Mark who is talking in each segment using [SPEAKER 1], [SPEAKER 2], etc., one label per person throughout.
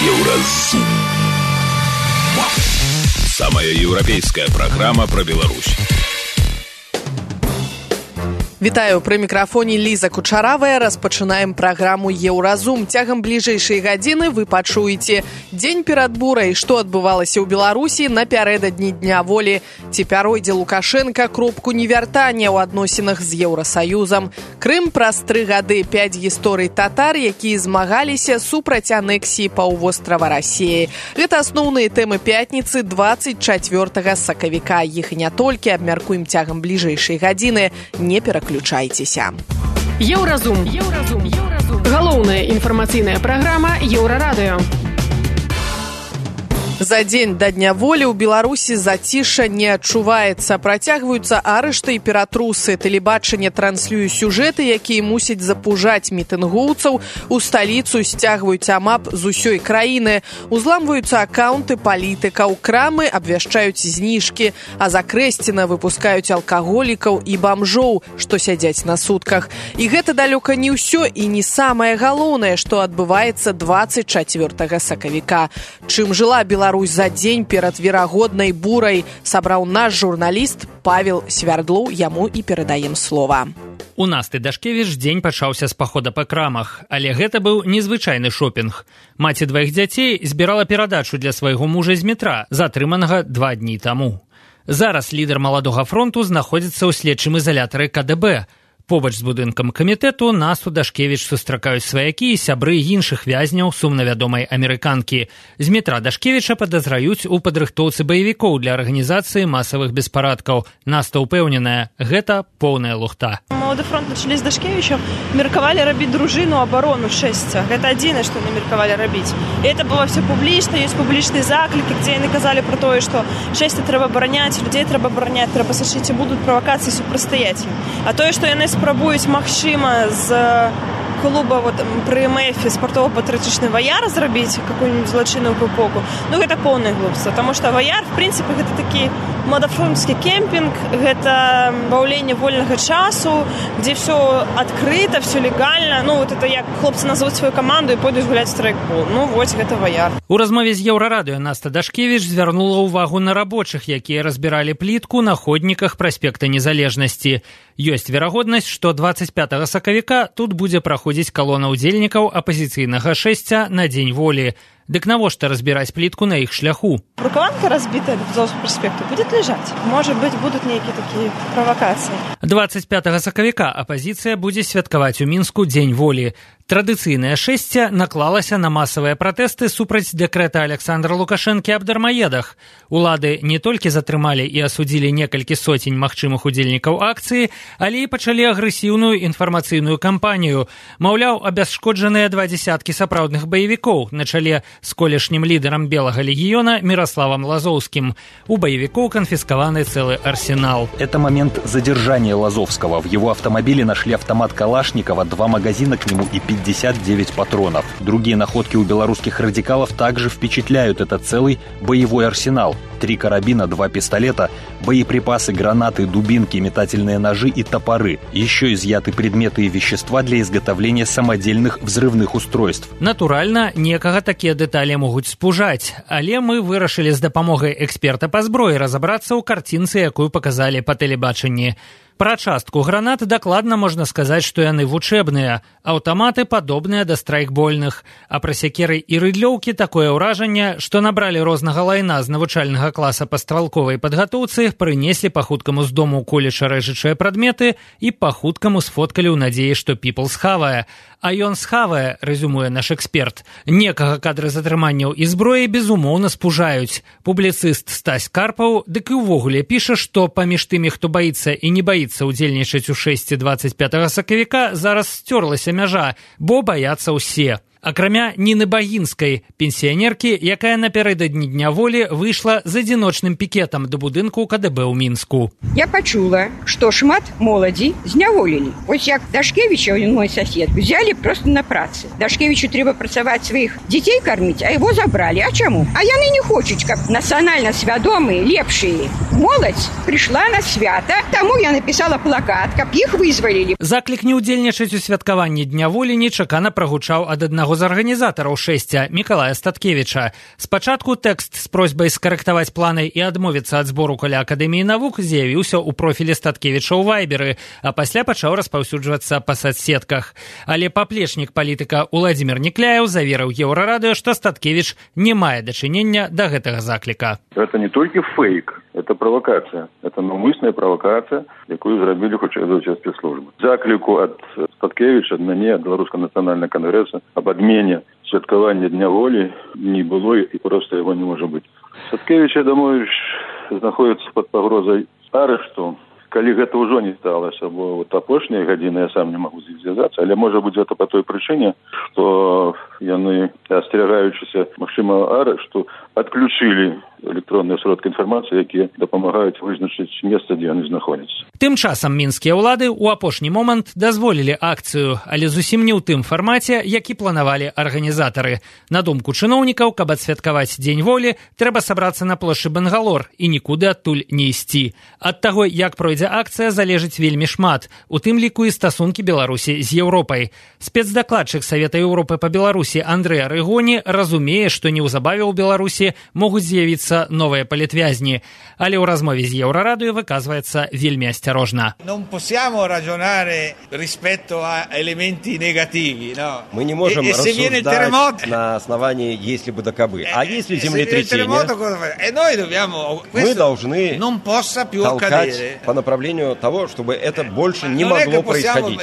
[SPEAKER 1] Еўразум. Самая еўрапейская программа про Беларусь.
[SPEAKER 2] Вітаю, пры мікрафоне Ліза Кучаравая. Распачынаем праграму «Еўразум». Цягам бліжэйшай гадзіны вы пачуеце дзень перад бурай, што адбывалася ў Беларусі напярэдадні Дня волі. Ці пяройдзе Лукашенка кропку невяртання ў адносінах з Еўрасаюзам. Крым праз 3 гады, 5 гісторый татар, якія змагаліся супраць анексіі паўвострава Расіі. Гэта асноўныя тэмы пятніцы 24 сакавіка. Іх і не толькі абмяркуем цягам бліжэйшай гадзіны. Не пераключайцеся.
[SPEAKER 3] Еўразум. Галоўная інфармацыйная праграма Еўрарадыё.
[SPEAKER 2] За дзень да Дня волі ў Беларусі зацішша не адчуваецца. Працягваюцца арышты і ператрусы. Тэлебачанне транслюе сюжэты, якія мусяць запужаць мітынгоўцаў. У сталіцу сцягваюць амап з усёй краіны. Узламваюцца акаунты палітыкаў. Крамы абвяшчаюць зніжкі. А за Крэсціна выпускаюць алкаголікаў і бамжоў, што сядзяць на сутках. І гэта далёка не ўсё і не самае галоўнае, што адбываецца 24 сакавіка. Чым жыла Беларусь за дзень перад верагоднай бурай, сабраў наш журналіст Павел Свярдлоў, яму і перадаем слова.
[SPEAKER 4] У Насты Дашкевіч дзень пачаўся з пахода па крамах, але гэта быў незвычайны шопінг. Маці 2 дзяцей збірала перадачу для свайго мужа з метра, затрыманага 2 дні таму. Зараз лідар маладога фронту знаходзіцца ў следчым ізалятары КДБ. Побач з будынкам камітэту Насту Дашкевіч сустракаюць сваякі і сябры іншых вязняў сумнавядомай амерыканкі. З метра Дашкевіча падазраюць у падрыхтоўцы баевікоў для арганізацыі масавых беспарадкаў. Наста ўпэўненая, гэта поўная лухта.
[SPEAKER 5] Малады фронт на чале з Дашкевічам меркавалі рабіць дружыну абарону шэсця. Гэта адзінае, што яны меркавалі рабіць. І это было все публічна, ёсць публічныя заклікі, дзе яны казалі пра тое, што шэсця трэба абараняць, людзей трэба абараняць, трэба сачыць, і будуць правакацыі супрацьстаяць ім. А тое, што яны спрабуюць, магчыма, з клуба пры МФ спартова-патрыотычны ваяр зрабіць какую-нибудь злачынную пупоку, гэта поўнае глупства, таму што ваяр, в прынцыпе, гэта такі мадафронтскі кемпінг, гэта баўленне вольнага часу, дзе все адкрыта, все легальна. Это як хлопцы назовуць сваю каманду і пойдуць гуляць страйкбол. Вось гэта ваяр.
[SPEAKER 4] У размове з Еўрарадыё Наста Дашкевіч звярнула ўвагу на рабочых, якія разбіралі плітку на ходніках праспекта Незалежнасці. Ёсць верагоднасць, што 25 сакавіка тут будзе праходзіць калона ўдзельнікаў апазіцыйнага шэсця на Дзень волі. Дык навошта разбіраць плітку на іх шляху?
[SPEAKER 5] Рукаванка разбітая до Петровского проспекта будет лежать. Может быть, будут некие такие провокации.
[SPEAKER 4] 25 сакавіка апазіцыя будзе святкаваць у Мінску Дзень волі. Традыцыйнае шэсце наклалася на масавыя пратэсты супраць дэкрэта Александра Лукашэнкі аб дармаедах. Улады не толькі затрымалі і асудзілі некалькі соцень магчымых удзельнікаў акцыі, але і пачалі агрэсіўную інфармацыйную кампанію. Маўляў, абясшкоджаныя 20 сапраўдных баевікоў на чале з колішнім лідарам Белага легіёна Мирославом Лазовским. У боевиков конфискованы целый арсенал.
[SPEAKER 6] Это момент задержания Лазовского. В его автомобиле нашли автомат Калашникова, 2 магазина к нему и 59 патронов. Другие находки у белорусских радикалов также впечатляют. Это целый боевой арсенал. 3 карабина, 2 пистолета, боеприпасы, гранаты, дубинки, метательные ножи и топоры. Еще изъяты предметы и вещества для изготовления самодельных взрывных устройств.
[SPEAKER 4] Натуральна, некага такія дэталі могуць спужаць, але мы вырашылі з дапамогай эксперта па зброі разабрацца ў карцінцы, якую паказалі па тэлебачанні. Пра частку гранат дакладна можна сказаць, што яны вучэбныя. Аўтаматы падобныя да страйкбольных. А пра сякеры і рыдлёўкі такое ўражанне, што набралі рознага лайна з навучальнага класа па стралковай падгатоўцы, прынеслі па-хуткаму з дому колеча рэжучыя прадметы і па-хуткаму сфоткалі ў надзеі, што піпл схавае. А ён схавае, рэзюмуе наш эксперт. Некага кадры затрыманняў і зброі безумоўна спужаюць. Публіцыст Стась Карпаў дык і ўвогуле піша, што паміж тымі, хто баіцца і не баіцца удзельнічаць у шэсці 25 сакавіка, зараз сцёрлася мяжа, бо баяцца ўсе. Акрамя Ніны Багінскай, пенсіянеркі, якая напярэдадні Дня волі выйшла з адзіночным пікетам да будынку КДБ ў Мінску.
[SPEAKER 7] Я пачула, што шмат моладзі зняволілі. Вось як Дашкевіча, ён мой сосед, взяли просто на працы. Дашкевічу трэба працаваць сваіх дзяцей карміць, а яго забралі. А чаму? А яны не хочуць, каб нацыянальна свядомыя, лепшыя моладзь прыйшла на свята. Таму я напісала плакат, каб іх вызвалілі.
[SPEAKER 4] Заклік не ўдзельнічаць у святкаванні Дня волі нечакана прагучаў ад аднаго аднаго з арганізатараў шэсця, Мікалая Статкевіча. Спачатку тэкст з просьбай скарэктаваць планы і адмовіцца ад збору каля Акадэміі навук з'явіўся ў профілі Статкевіча ў Вайберы, а пасля пачаў распаўсюджвацца па соцсетках. Але паплечнік палітыка Уладзімір Некляеў заверыў Еўрарадыё, што Статкевіч не мае дачынення да гэтага закліка.
[SPEAKER 8] Это не толькі фейк, это правокацыя. Это наўмысная правокацыя, якую зрабілі хутчэй за ўсе спецслужбы. Закліку ад Статкевіча, ад мяне, ад Беларускага нацыянальнага кангрэса аб адмене святкавання Дня волі не было і проста яго не можа быць. Статкевіч, я думаю, знаходіцца пад пагрозай арышту. Калі гэта ўжо не сталася, бо апошнія гадзіны я сам не магу з іх звязацца, але можа быць гэта па той прычыне, што яны, асцерагаючыся магчымага арышту, адключылі электронныя сродкі інфармацыі, якія дапамагаюць вызначыць месца, дзе яны знаходзяцца.
[SPEAKER 4] Тым часам мінскія ўлады ў апошні момант дазволілі акцыю, але зусім не ў тым фармаце, які планавалі арганізатары. На думку чыноўнікаў, каб адсвяткаваць Дзень волі, трэба сабрацца на плошчы Бангалор і нікуды адтуль не ісці. Ад таго, як пройдзе акцыя, залежыць вельмі шмат, у тым ліку і стасункі Беларусі з Еўропай. Спецдакладчык Савета Еўропы па Беларусі Андрэй Арыгоні разумее, што неўзабаве ў Беларусі могуць з'явіцца новыя палітвязні, але ў размове з Еўрарадыё выказваецца вельмі асцярожна.
[SPEAKER 9] Мы не можем рассуждать на основании «если бы да кабы». А если землетрясение, мы должны толкать по направлению того, чтобы это больше не могло происходить.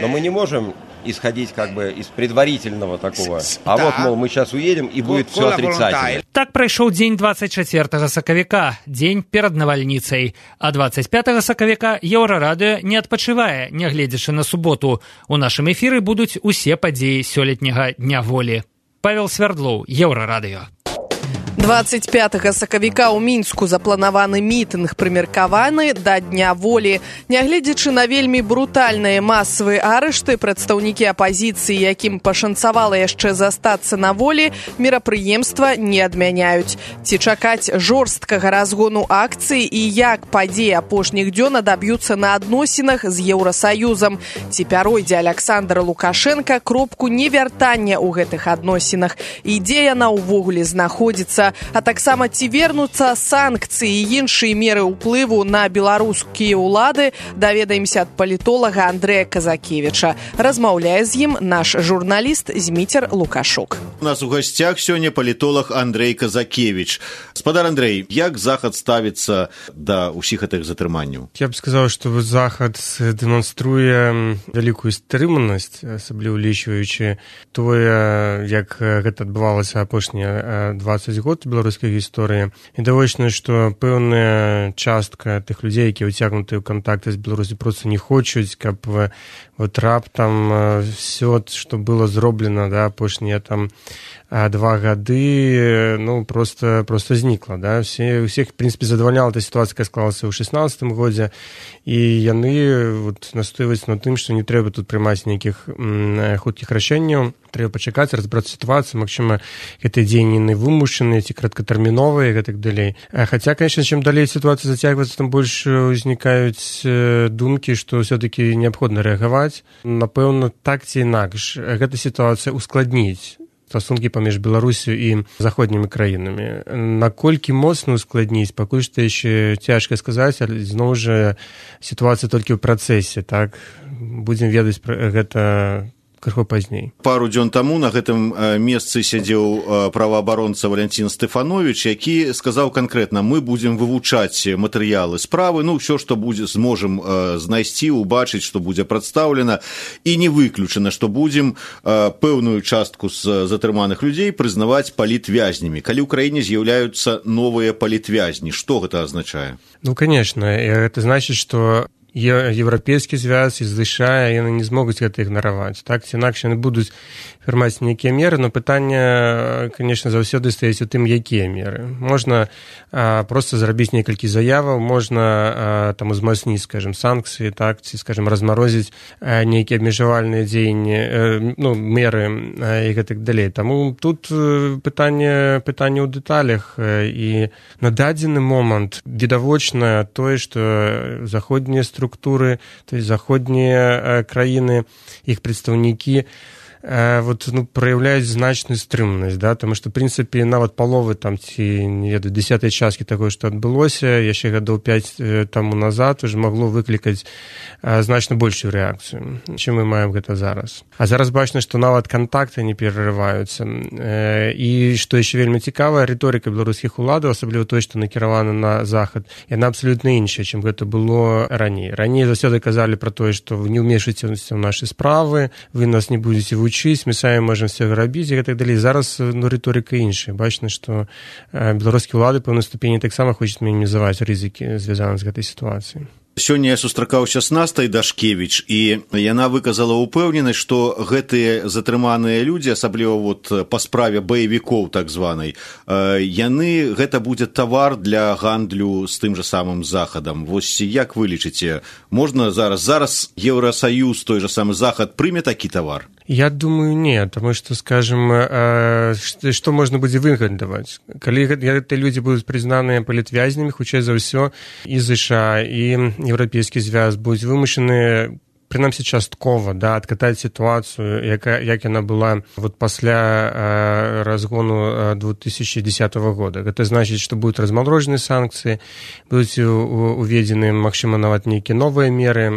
[SPEAKER 9] Но мы не можем исходить как бы из предварительного такого. А вот, мол, мы сейчас уедем, и будет все отрицательно.
[SPEAKER 4] Так прайшоў дзень 24 сакавіка, дзень перад навальніцай. А 25 сакавіка Еўрарадыё не адпачывае, нягледзячы на суботу. У нашым эфіры будуць усе падзеі сёлетняга Дня волі. Павел Свярдлоў, Еўрарадыё.
[SPEAKER 2] 25 сакавіка ў Мінску запланаваны мітынг, прымеркаваны да Дня волі. Нягледзячы на вельмі брутальныя масавыя арышты, прадстаўнікі апазіцыі, якім пашанцавала яшчэ застацца на волі, мерапрыемства не адмяняюць. Ці чакаць жорсткага разгону акцыі і як падзеі апошніх дзён адаб'юцца на адносінах з Еўрасаюзам. Ці пяройдзе Аляксандр Лукашенка кропку невяртання ў гэтых адносінах і дзе яна ўвогуле знаходзіцца, а таксама ці вернуцца санкцыі і іншыя меры ўплыву на беларускія ўлады, даведаемся ад палітолага Андрэя Казакевіча. Размаўляе з ім наш журналіст Зміцер Лукашук.
[SPEAKER 10] У нас у гостях сегодня политолог Андрей Казакевич. Спадар Андрей, як Захад ставится до усіх этих затрыманняў?
[SPEAKER 11] Я бы сказал, что Захад демонструе великую стрыманасць, асабліва улічваючы тое, як гэта адбывалася апошнія 20 год беларускай гісторыі. Відавочна, што пэўная частка тых людзей, якія ўцягнуты ў кантакты з Беларусі, проста не хочуць, каб вот раптам все, што было зроблена, да, апошнія там 2 гады, ну, просто знікла, да. Усіх, в прынцыпе, задавальняла эта сітуацыя, якая склалася ў 16 годзе, і яны вот настойваюць на тым, што не трэба тут прымаць нейкіх хуткіх рашэнняў, трэба пачакаць, разбрацца сітуацыю, магчыма, гэтыя дзеянні вымушаныя ці краткатэрміновыя і гэтак далей. Хаця, конечно, чым далей сітуацыя зацягваецца, там больш узнікаюць думкі, што ўсё-такі неабходна рэагаваць. Напэўна, так ці інакш гэта сітуацыя ускладніць стасункі паміж Беларусю і заходнімі краінамі. Наколькі моцна ускладніць, пакуль што яшчэ цяжка сказаць, але зноў жа сітуацыя толькі ў працэсе, так? Будзем ведаць пра гэта крыху пазней.
[SPEAKER 10] Пару дзён таму на гэтым месцы сядзеў праваабаронца Валянцін Стэфановіч, які сказаў канкрэтна: мы будзем вывучаць матэрыялы справы, ну, ўсё, што будзе, зможам знайсці, убачыць, што будзе прадстаўлена, і не выключана, што будзем пэўную частку з затрыманых людзей прызнаваць палітвязнямі. Калі ў краіне з'яўляюцца новыя палітвязні, што гэта азначае?
[SPEAKER 11] Ну, конечно, это значыць, што Еўрапейскі звяз і США, яны не змогуць гэта ігнараваць. Так, ці інакш яны будуць фірмаць нейкія меры, но пытанне, конечно, заўсёды стаіць у тым, якія меры. Можна просто зрабіць некалькі заяваў, можна там узмацніць, скажем, санкцыі, так, ці, скажем, размарозіць нейкія абмежавальныя дзеянні, ну, меры і гэтак далей. Таму тут пытанне ў дэталях, і на дадзены момант відавочна тое, што заходнія структуры, то есть заходнія краіны, іх прадстаўнікі праяўляюць значную стрымнасць, да, тому што, в прынцыпе, нават паловы там, ці, не ведаю, 10 часткі такое, што адбылося, яшчэ гадоў 5 таму назад уже магло выклікаць значна большую рэакцыю, чым мы маем гэта зараз. А зараз бачна, што нават кантакты не перарываюцца. І, што яшчэ вельмі цікава, рыторыка беларускіх уладаў, асабліва той, што накіравана на захад, яна абсалютна іншая, чым гэта было раней. Раней заўсёды казалі пра тое, што вы не ўмешваецеся ў нашы справы, вы нас не будзеце вучыць, мы самі можам все рабіць і так далей. Зараз рыторыка іншая. Бачна, што беларускія ўлады па пэўнай ступені таксама хочуць мінімізаваць рызыкі, звязаныя з гэтай сітуацыяй.
[SPEAKER 10] Сёння я сустракаўся з Настай Дашкевіч, і яна выказала ўпэўненасць, што гэтыя затрыманыя людзі, асабліва па справе баевікоў так званай, гэта будзе тавар для гандлю з тым жа самым Захадам. Вось як вы лічыце, можна зараз Еўрасаюз, той жа самы Захад прыме такі тавар?
[SPEAKER 11] Я думаю, не, тому што, скажем, што можна будзе выгадаваць? Калі гэтыя людзі будуць прызнаныя палітвязнямі, хутчэй за ўсё, і ЗША, і Еўрапейскі звяз будуць вымушаны, прынамсі часткова, да, адкатаць сітуацыю, як яна была пасля разгону 2010 года. Гэта значыць, што будуць размарожаны санкцыі, будуць уведзены, магчыма, нават нейкія новыя меры,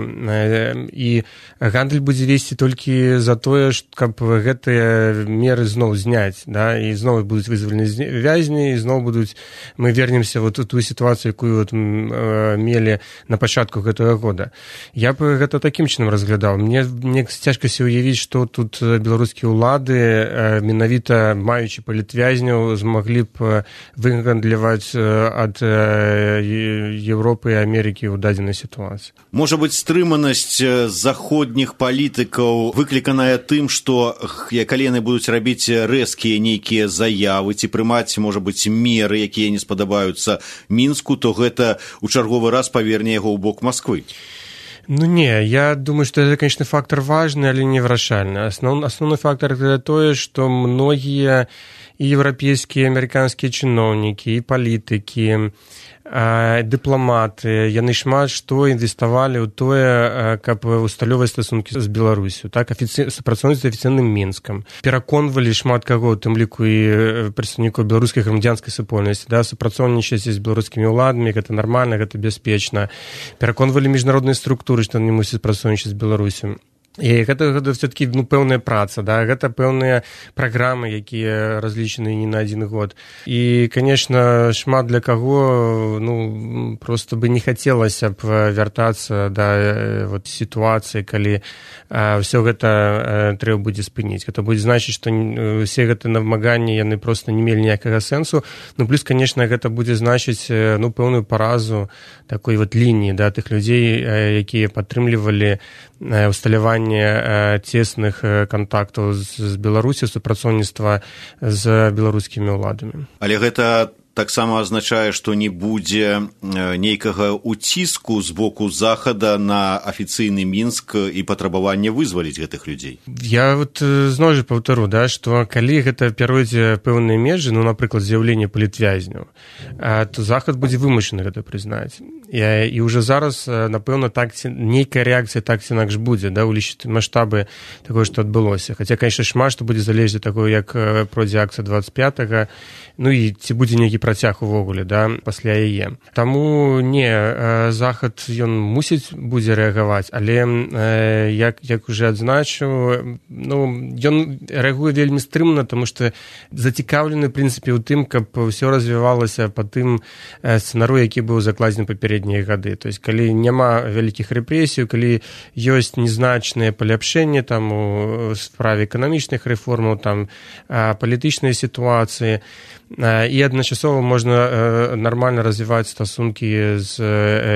[SPEAKER 11] і гандаль будзе весці толькі за тое, каб гэтыя меры зноў зняць, да, і зноў будуць вызвалены вязні, і зноў мы вернемся у тую сітуацыю, якую мелі на пачатку гэтага года. Я б гэта такім чынам разглядаў. Мне цяжка себе уявіць, што тут беларускія ўлады, менавіта маючы палітвязняў, змаглі б выгандляваць ад Еўропы і Амерыкі ў дадзенай сітуацыі.
[SPEAKER 10] Можа быць, стрыманасць заходніх палітыкаў выкліканая тым, што калі яны будуць рабіць рэзкія нейкія заявы ці прымаць, можа быць, меры, якія не спадабаюцца Мінску, то гэта ў чарговы раз паверне яго ў бок Масквы.
[SPEAKER 11] Не, я думаю, что это, конечно, фактор важный, але не вырашальный. Основной фактор это то, что многие и европейские, и американские чиновники, и политики, дыпламаты, яны шмат што інвеставалі ў тое, каб усталёваць стасункі з Беларусю, так, супрацоўніцтва афіцыйным Мінскам. Пераконвалі шмат каго, у тым ліку і прадстаўнікоў беларускай грамадзянскай супольнасці, да, супрацоўнічаць з беларускімі ўладамі, гэта нармальна, гэта бяспечна. Пераконвалі міжнародныя структуры, што яны мусяць працоўнічаць з Беларусю. І гэта все-таки пэўная праца, да, гэта пэўныя праграмы, якія разлічаны не на один год. І, конечно, шмат для каго, просто бы не хацелася б вяртацца да сітуацыі, калі ўсё гэта трэба будзе спыніць. Гэта будзе значыць, што усе гэтыя намаганні яны просто не мелі ніякага сэнсу. Плюс, конечно, гэта будзе значыць пэўную паразу такой лініі, да, тых людзей, якія падтрымлівалі усталяванне цесных кантактаў з Беларусі, супрацоўніцтва з беларускімі ўладамі.
[SPEAKER 10] Але гэта таксама азначае, што не будзе нейкага уціску з боку Захада на афіцыйны Мінск і патрабаванне вызваліць гэтых людзей.
[SPEAKER 11] Я зноў жа паўтару, да, што калі гэта пяройдзе пэўныя межы, напрыклад, з'яўленне палітвязняў, то Захад будзе вымушаны гэта прызнаць. І ўжо зараз, напэўна, нейкая рэакцыя так ці інакш будзе, да, улічыць маштабы такое, што адбылося. Хаця, конечно, шмат што будзе залежаць ад таго, як пройдзе акцыя 25-га, і ці будзе нейкі працяг увогуле, да, пасля яе. Таму не, Захад ён мусіць будзе рэагаваць, але як уже адзначыў, ён рэагуе вельмі стрымна, тому што зацікаўлены, в прынцыпе, у тым, каб ўсё развівалася па тым сцэнару, які быў закладзены папярэднія гады. То есть, калі няма вялікіх рэпрэсій, калі ёсць незначныя паляпшэнні там у справе эканамічных рэформаў, там палітычнай сітуацыі, і адначасова можна нармальна развіваць стасункі з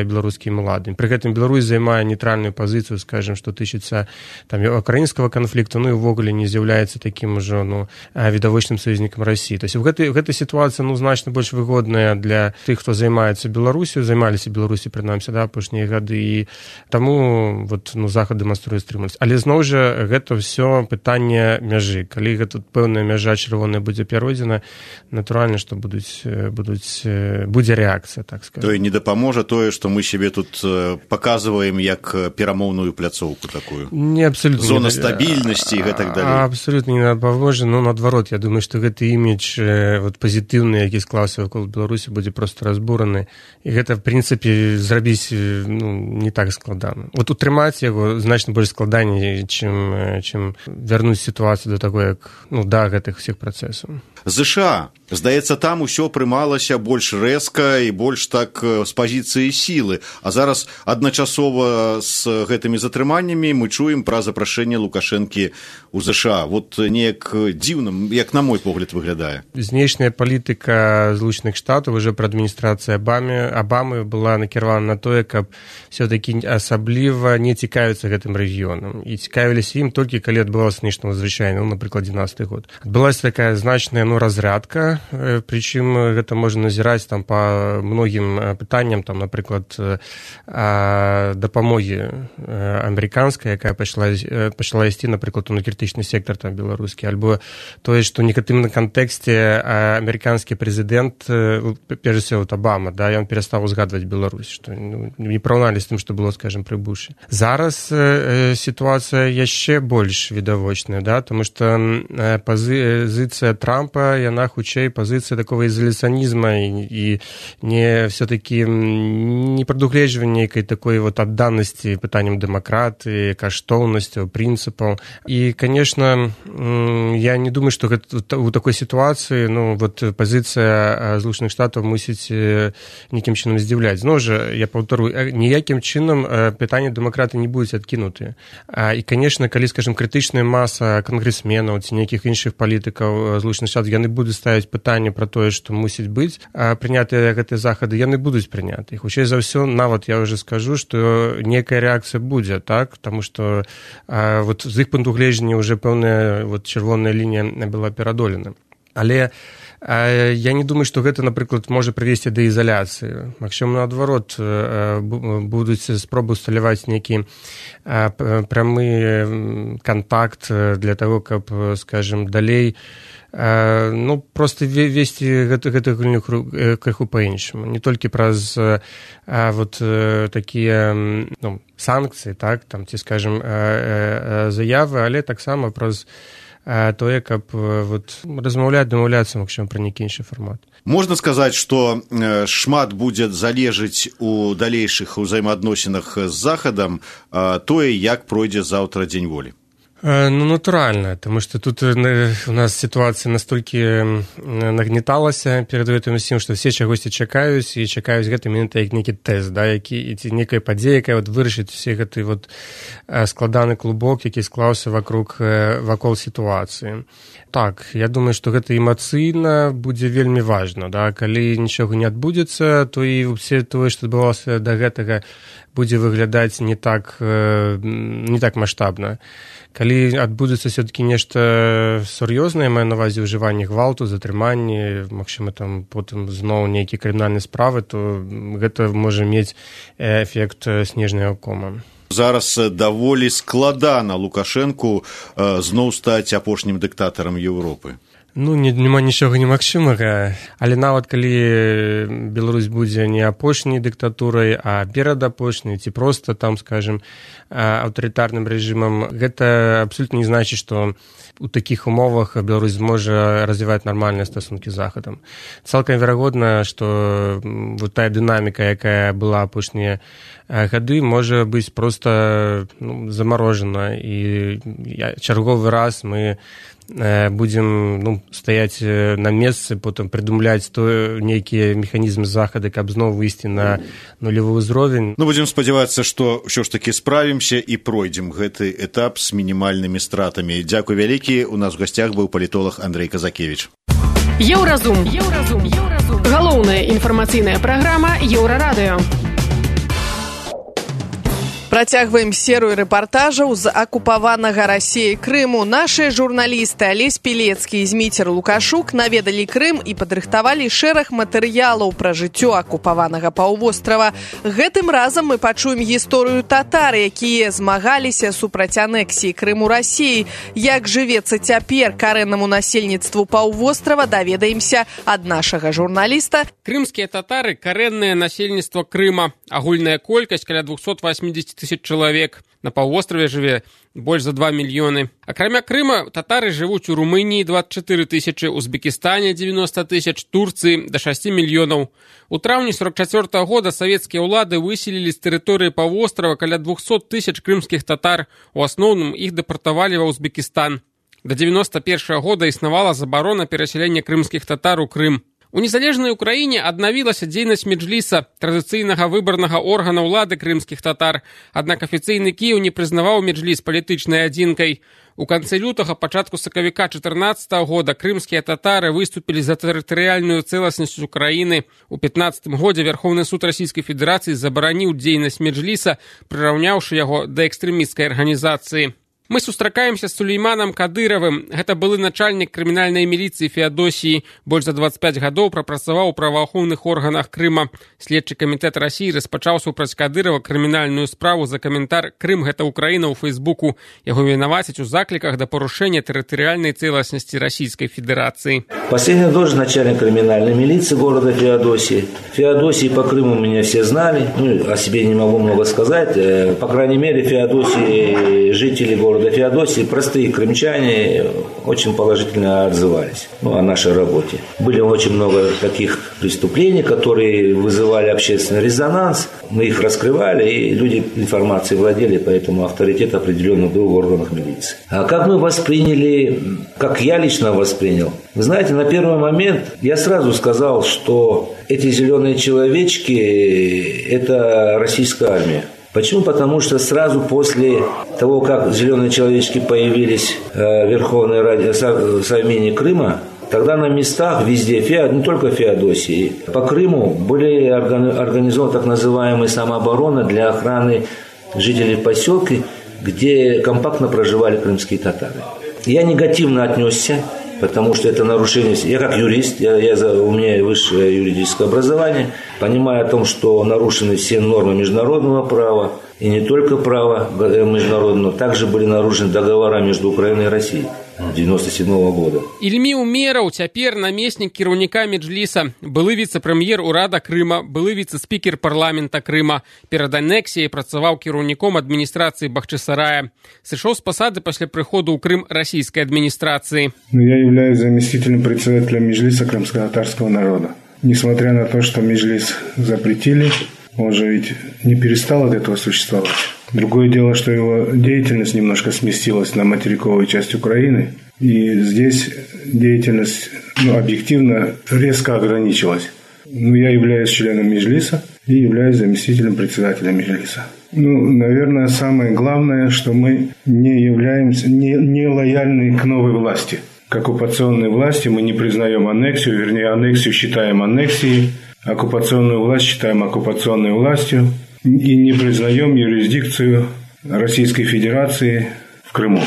[SPEAKER 11] беларускімі ўладамі. Пры гэтым Беларусь займае нейтральную пазіцыю, скажем, што тычыцца там украінскага канфлікту, і ўвогуле не з'яўляецца такім ужо відавочным саюзнікам Расіі. То есть гэта сітуацыя значна больш выгодная для тых, хто займаецца Беларусю, займаліся Беларусі прынамсі, да, апошнія гады, і таму Захад дэманструе стрыманасць. Але зноў жа гэта ўсё пытанне мяжы. Калі гэта пэўная мяжа чырвоная будзе перайдзена, натуральна, што будуць будзе рэакцыя, так сказать.
[SPEAKER 10] То не дапаможа тое, што мы сябе тут паказваем як перамоўную пляцоўку такую.
[SPEAKER 11] Не, абсолютно.
[SPEAKER 10] Зона стабільнасці і гэтак далей.
[SPEAKER 11] Абсолютно не дапаможа, но наадварот, я думаю, што гэты імідж пазітыўны, які склаўся вакол Беларусі, будзе проста разбураны. І гэта, в прынцыпе, зрабіць не так складана. Утрымаць яго значна больш складаней, чым вярнуць сітуацыю до таго, як да гэтых усіх працэсаў.
[SPEAKER 10] ЗША, здаецца, там усё прымалася больш рэзка і больш так з пазіцыі сілы. А зараз адначасова з гэтымі затрыманнямі мы чуем пра запрашэнне Лукашэнкі ў ЗША. Вот неяк дзіўна, як на мой погляд, выглядае.
[SPEAKER 11] Знешняя палітыка Злучаных Штатаў уже пры адміністрацыі Абамы была накіравана на тое, каб все-таки асабліва не цікавіцца гэтым рэгіёнам. І цікавіліся ім толькі калі адбывалася нешта надзвычайнае, напрыклад, 12-й год. Адбылася такая значная разрядка, прычым гэта можна назіраць там па многім пытанням, там, напрыклад, дапамогі амерыканскай, якая пачала ісці, напрыклад, у крытычны сектар там беларускі, альбо тое, што ў негатыўным кантэксце амерыканскі прэзідэнт, перш за ўсё, Абама, да, ён перастаў узгадваць Беларусь, што не параўналі з тым, што было, скажем, пры Бушы. Зараз сітуацыя яшчэ больш відавочная, да, тому што пазіцыя Трампа, яна хутчэй пазіцыя такого ізаляцыянізма і не все-таки не прадугледжвання нейкай такой вот адданасці пытанням дэмакратыі, каштоўнасцяў, прынцыпаў. І, конечно, я не думаю, што у такой сітуацыі пазіцыя Злучаных Штатаў мусіць нейкім чынам здзіўляць. Зноў жа, я паўтору, ніякім чынам пытанні дэмакраты не будуць адкінутыя. І, конечно, калі, скажем, крытычная маса кангрэсменаў ці нейкіх іншых палітыкаў Злучаных Штатаў, яны будуць ставіць пытанне пра тое, што мусіць быць прынятыя гэтыя захады, яны будуць прыняты. Хутчэй за ўсё, нават я ўжо скажу, што нейкая рэакцыя будзе, так? Таму што з іх пункту гледжання ўжо пэўная чырвоная лінія была перадолена. Але я не думаю, што гэта, напрыклад, можа прывесці да ізаляцыі. Магчыма, наадварот, будуць спробы ўсталяваць нейкі прамы кантакт для таго, каб, скажем, далей просто весці гэтую гульню крыху па-іншаму. Не толькі праз такія санкцыі, так, там, ці, скажем, заявы, але таксама праз тое, каб дамаўляцца, магчыма, пра нейкі іншы фармат.
[SPEAKER 10] Можна сказаць, што шмат будзе залежыць у далейшых узаемаадносінах з Захадам тое, як пройдзе заўтра дзень волі.
[SPEAKER 11] Натуральна, тому што тут у нас сітуацыя настолькі нагнеталася перад гэтым усім, што все чагосьці чакаюць і чакаюць гэты мінуты як нейкі тэст, да, ці нейкая падзея, якая вырашыць усе гэты складаны клубок, які склаўся вакол сітуацыі. Так, я думаю, што гэта эмацыйна будзе вельмі важна, да, калі нічога не адбудзецца, то і ўсе тое, што адбывалася да гэтага, будзе выглядаць не так маштабна. Калі адбудзецца все-таки нешта сур'ёзнае, маю на ўвазе ўжыванне гвалту, затрыманне, магчыма, там потым зноў нейкія крымінальныя справы, то гэта можа мець эфект снежнага кома.
[SPEAKER 10] Зараз даволі складана Лукашэнку зноў стаць апошнім дыктатарам Еўропы.
[SPEAKER 11] Няма нічога немагчымага, але нават калі Беларусь будзе не апошняй дыктатурай, а перадапошняй, ці проста там, скажем, аўтарытарным рэжымам, гэта абсолютна не значыць, што у такіх умовах Беларусь зможа развіваць нармальныя стасункі з Захадам. Цалкам верагодна, што тая дынаміка, якая была апошнія гады, можа быць проста замарожана, і чарговы раз мы будзем стаяць на месцы, потым прыдумляць нейкія механізмы захады, каб зноў выйсці на нулевы ўзровень.
[SPEAKER 10] Будзем спадзявацца, што ўсё ж такі справімся і пройдзем гэты этап з мінімальнымі стратамі. Дзякуй вялікі. У нас у гасцях быў палітолог Андрэй Казакевіч.
[SPEAKER 3] Еўразум. Галоўная інфармацыйная праграма Еўрарадыё.
[SPEAKER 2] Працягваем серыю рэпартажаў з акупаванага Расіяй Крыму. Нашыя журналісты Алесь Пілецкі і Зміцер Лукашук наведалі Крым і падрыхтавалі шэраг матэрыялаў пра жыццё акупаванага паўвострава. Гэтым разам мы пачуем гісторыю татар, якія змагаліся супраць анексіі Крыму Расіі. Як жывецца цяпер карэннаму насельніцтву паўвострава, даведаемся ад нашага журналіста.
[SPEAKER 12] Крымскія татары – карэннае насельніцтва Крыма. Агульная колькасць каля 280 тысяч чалавек. На паўвостраве жыве больш за 2 мільёны. Акрамя Крыма, татары жывуць у Румыніі 24 тысячы, Узбекістане 90 тысяч, Турцыі да 6 мільёнаў. У траўні 44 года савецкія ўлады выселілі з тэрыторыі паўвострава каля 200 тысяч крымскіх татар. У асноўным іх дэпартавалі ва Узбекістан. До 91 года існавала забарона перасялення крымскіх татар у Крым. У незалежнай Украіне аднавілася дзейнасць меджліса, традыцыйнага выбарнага органа ўлады крымскіх татар, аднак афіцыйны Кіеў не прызнаваў меджліс палітычнай адзінкай. У канцы лютага, пачатку сакавіка 14 года крымскія татары выступілі за тэрытарыяльную цэласнасць Украіны. У 15 годзе Верховны суд Расійскай Федэрацыі забараніў дзейнасць меджліса, прыраўняўшы яго да экстрэмісцкай арганізацыі. Мы сустракаемся з Сулейманам Кадыравым. Гэта былы начальнік крымінальнай міліцыі Феадосіі. Больш за 25 гадоў прапрацаваў у праваахоўных органах Крыма. Следчы камітэт Расіі распачаў супраць Кадырава крымінальную справу за каментар «Крым – гэта Украіна» ў Фейсбуку. Яго вінавацяць у закліках да парушэння тэрытарыяльнай цэласнасці Расійскай Федэрацыі.
[SPEAKER 13] Последняя должность начальник криминальной милиции города Феодосии. Феодосии по Крыму меня все знали. О себе не могу много сказать. По крайней мере, Феодосии, жители города Феодосии, простые крымчане, очень положительно отзывались о нашей работе. Были очень много таких преступлений, которые вызывали общественный резонанс. Мы их раскрывали, и люди информацией владели, поэтому авторитет определенно был в органах милиции. А как мы восприняли, как я лично воспринял? Вы знаете, на первый момент я сразу сказал, что эти зеленые человечки – это российская армия. Почему? Потому что сразу после того, как зеленые человечки появились в Верховной Раде Совмине Крыма, тогда на местах везде, не только в Феодосии, по Крыму были организованы так называемые самообороны для охраны жителей поселка, где компактно проживали крымские татары. Я негативно отнесся, потому что это нарушение. Я как юрист, у меня высшее юридическое образование, понимая о том, что нарушены все нормы международного права, и не только права международного, также были нарушены договора между Украиной и Россией 1997 года.
[SPEAKER 12] Ільмі Умераў цяпер намеснік кіраўніка меджліса, былы віцэ-прэм'ер урада Крыма, былы віцэ-спікер парламента Крыма. Перад анексіяй працаваў кіраўніком адміністрацыі Бахчисарая. Сышоў з пасады пасля прыходу ў Крым расійскай адміністрацыі.
[SPEAKER 14] Я являюсь заместителем председателя меджлиса крымско-татарского народа. Несмотря на то, что меджлис запретили, он же ведь не перестал от этого существовать. Другое дело, что его деятельность немножко сместилась на материковую часть Украины, и здесь деятельность объективно резко ограничилась. Я являюсь членом меджлиса и являюсь заместителем председателя меджлиса. Наверное, самое главное, что мы не являемся не лояльны к новой власти. К оккупационной власти мы не признаем аннексию, вернее, аннексию считаем аннексией, оккупационную власть считаем оккупационной властью и не признаем юрисдикцию Российской Федерации в Крыму.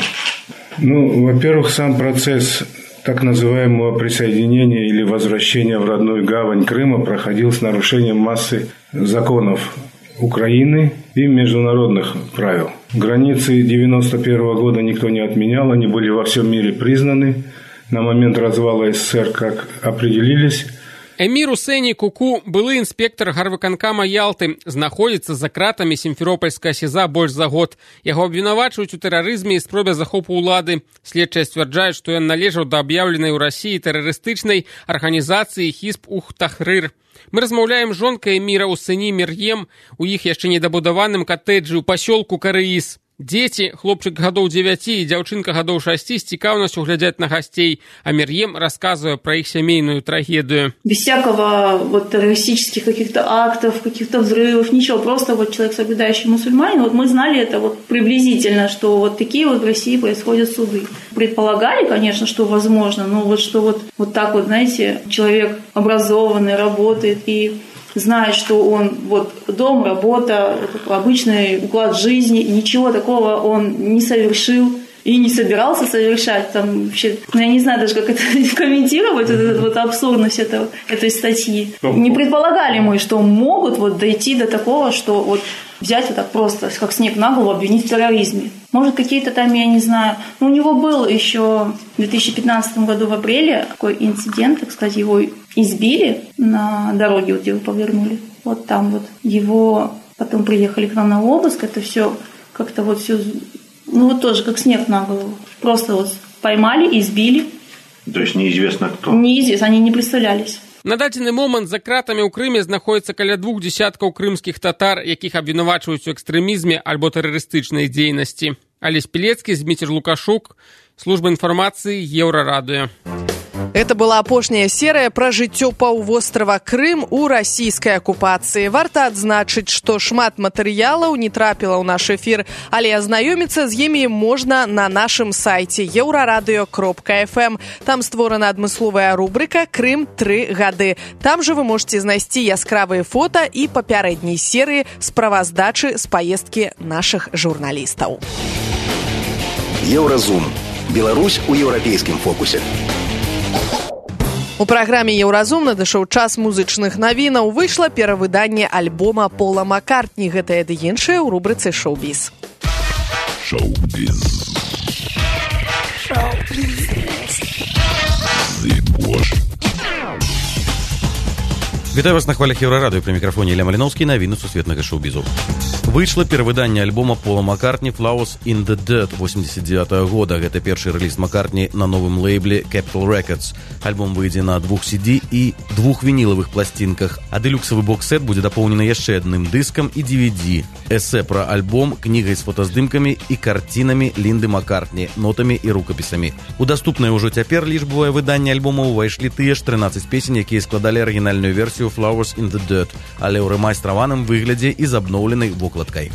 [SPEAKER 14] Во-первых, сам процесс так называемого присоединения или возвращения в родную гавань Крыма проходил с нарушением массы законов Украины и международных правил. Границы 1991 года никто не отменял, они были во всем мире признаны. На момент развала СССР как определились.
[SPEAKER 12] Эмір Усені Куку, былы інспектор гарвыканкама Ялты, знаходзіцца за кратамі Сімферопольскага СІЗА больш за год. Яго абвінавачваюць у тэрарызме і спробе захопу ўлады. Следчыя сцвярджаюць, што ён належаў да аб'яўленай у Расіі тэрарыстычнай арганізацыі Хізб Ух-Тахрыр. Мы размаўляем з жонкай Эміра Усені Мер'ем у іх яшчэ недабудаваным катэджы ў пасёлку Карыіс. Дзеці, хлопчык гадоў 9 і дзяўчынка гадоў 6 з цікаўнасцю глядзяць на гасцей, а Мер'ем рассказывая про их семейную трагедию.
[SPEAKER 15] Без всякого террористических каких-то актов, каких-то взрывов, ничего, просто человек, соблюдающий мусульманин, мы знали это приблизительно, что такие в России происходят суды. Предполагали, конечно, что возможно, но что так знаете, человек образованный, работает и знает, что он вот дом, работа, обычный уклад жизни, ничего такого он не совершил и не собирался совершать. Там вообще, я не знаю даже, как это комментировать, вот абсурдность этой статьи. Не предполагали мы, что могут вот дойти до такого, что вот взять вот так просто, как снег на голову, обвинить в терроризме. Может, какие-то там, я не знаю. У него был еще в 2015 году в апреле такой инцидент, так сказать, его избили на дороге, вот где вы повернули. Вот там вот его потом приехали к нам на обыск, это все как-то вот все, ну вот тоже как снег на голову. Просто вот поймали, избили.
[SPEAKER 10] То есть неизвестно кто?
[SPEAKER 15] Неизвестно, они не представлялись.
[SPEAKER 12] На дадзены момант за кратамі ў Крыме знаходзіцца каля 2 десяткаў крымскіх татар, якіх абвінавачваюць у экстрэмізме альбо тэрарыстычнай дзейнасці. Алесь Пілецкі, Зміцер Лукашук, служба інфармацыі Еўрарадыё.
[SPEAKER 2] Это была апошняя серыя пра жыццё паўвострава Крым у расійскай акупацыі. Варта адзначыць, што шмат матэрыялаў не трапіла ў наш эфір, але азнаёміцца з імі можна на нашым сайце euraradio.fm. Там створана адмысловая рубрыка «Крым 3 гады». Там жа вы можете знайсці яскравыя фота і папярэдняй серыі справаздачы з паездкі нашых журналістаў.
[SPEAKER 16] Еўразум. Беларусь у еўрапейскім фокусе.
[SPEAKER 2] У праграме «Еўразум» надышоў час музычных навінаў. Выйшла перавыданне альбома Пола Маккартні. Гэта і іншае ў рубрыцы «Шоу-біз».
[SPEAKER 1] Шоу-біз.
[SPEAKER 17] Вітаю вас на хвалях Еўрарадыё, пры мікрафоне Ілля Маліноўскі, навіны сусветнага шоу-бізу. Выйшла перавыданне альбома Пола Маккартні «Flowers in the Dirt» 89-го года. Гэта першы рэліз Маккартні на новым лейбле Capitol Records. Альбом выйдзе на 2 CD і 2 вінілавых пласцінках, а дэлюксавы бокс-сет будзе дапоўнены яшчэ адным дыскам і DVD. Эсэ пра альбом, кнігай з фотаздымкамі і карцінамі Лінды Маккартні, нотамі і рукапісамі. У даступнае ўжо цяпер лічбавае выданне альбома ўвайшлі тыя ж 13 песень, якія складалі арыгінальную версію «Flowers in the Dirt», але ў рэмайстраваным выглядзе і з абноўленай вокладкай.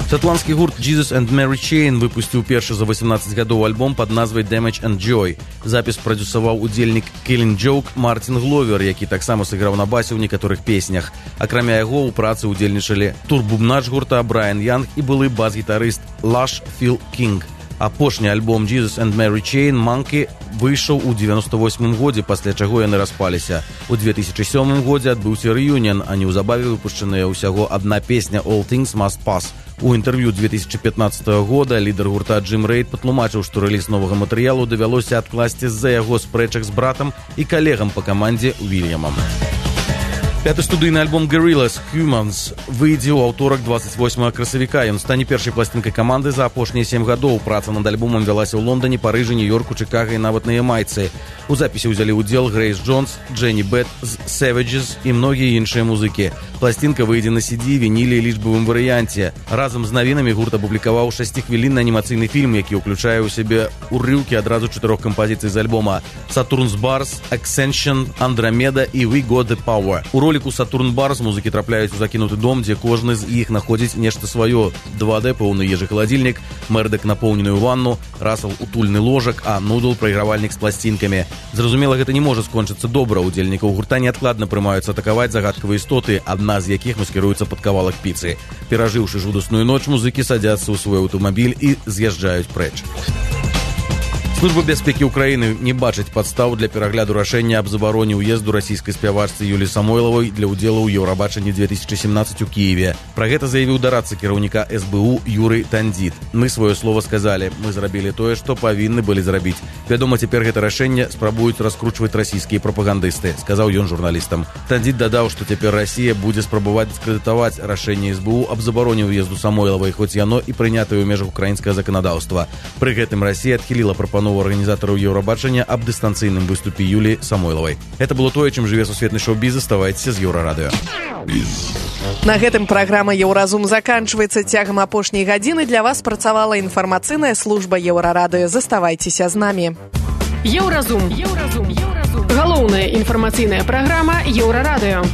[SPEAKER 17] Шотландскі гурт Jesus and Mary Chain выпусціў першы за 18 гадоў альбом пад назвай «Damage and Joy». Запіс прадзюсаваў удзельнік Killing Joke Мартин Гловер, які таксама сыграў на басе ў некаторых песнях. Акрамя яго ў працы ўдзельнічалі турбубнач гурта Брайан Янг і былы бас-гітарыст Lush Phil King. Апошні альбом Jesus and Mary Chain «Monkey» выйшаў у 98-м годзе, пасля чаго яны распаліся. У 2007 годзе адбыўся рэюніан, а неўзабаве выпушчаная ўсяго адна песня «All Things Must Pass». У інтэрв'ю 2015 года лідар гурта Джим Рейд патлумачыў, што рэліз новага матэрыялу давялося адкласці з-за яго спрэчак з братам і калегам па камандзе Уільямам. Пяты студыйны альбом Gorillaz Humans выйдзе ў аўторак 28 красавіка. Ён стане першай пласцінкай каманды за апошнія 7 гадоў. Праца над альбомам вялася ў Лондоне, Парыжы, Нью-Йорку, Чыкага і нават на Ямайцы. У запісе ўзялі ўдзел Грэйс Джонс, Дженні Бэт з Savages і многія іншыя музыкі. Пласцінка выйдзе на CD, вініле і лічбавым варыянце. Разам з навінамі гурт апублікаваў 6-хвілінны анімацыйны фільм, які ўключае ў сябе урыўкі адразу 4 кампазіцый з альбома: Saturn's Bars, Ascension, Andromeda і We Got the Power. У роліку Saturn Bars музыкі трапляюць у закінуты дом, дзе кожны з іх находзіць нешта сваё. 2D поўны ежы-халадзільнік, Мердак напоўненую ванну, Расал утульны ложак, а Нудл прайгравальнік з пласцінкамі. Зразумела, гэта не можа скончыцца добра. Удзельнікаў гурта неадкладна прымаюцца атакаваць загадкавыя істоты, адна з якіх маскіруецца пад кавалак піцы. Перажыўшы жудасную ноч, музыкі садзяцца ў свой аўтамабіль і з'язджаюць прэч. Служба бяспекі ўкраіны не бачыць падстаў для перагляду рашэння аб забароне ўезду расійскай спявачцы Юлі Самойлавай для ўдзелу ў Еўрабачанні 2017 у Кіеве. Пра гэта заявіў дарадца кіраўніка СБУ Юрый Тандзіт. Мы сваё слова сказалі, мы зрабілі тое, што павінны былі зрабіць. Вядома, цяпер гэта рашэнне спрабуюць раскручваць расійскія прапагандысты, сказаў ён журналістам. Тандзіт дадаў, што цяпер Расія будзе спрабаваць дыскрэдытаваць рашэнне СБУ аб забароне ўезду Самойлавай, хоць яно і прынятае ў межах украінскага заканадаўства. Пры гэтым Расія адхіліла прапанову арганізатараў Еўрабачання аб дыстанцыйным выступе Юлі Самойлавай. Это было тое, чым жыве сусветны шоу-біз. Заставайцеся з Еўрарадыё.
[SPEAKER 2] На гэтым праграма «Еўразум» заканчваецца. Цягам апошняй гадзіны для вас працавала інфармацыйная служба Еўрарадыё. Заставайцеся з намі.
[SPEAKER 3] Еўразум. Галоўная інфармацыйная праграма Еўрарадыё.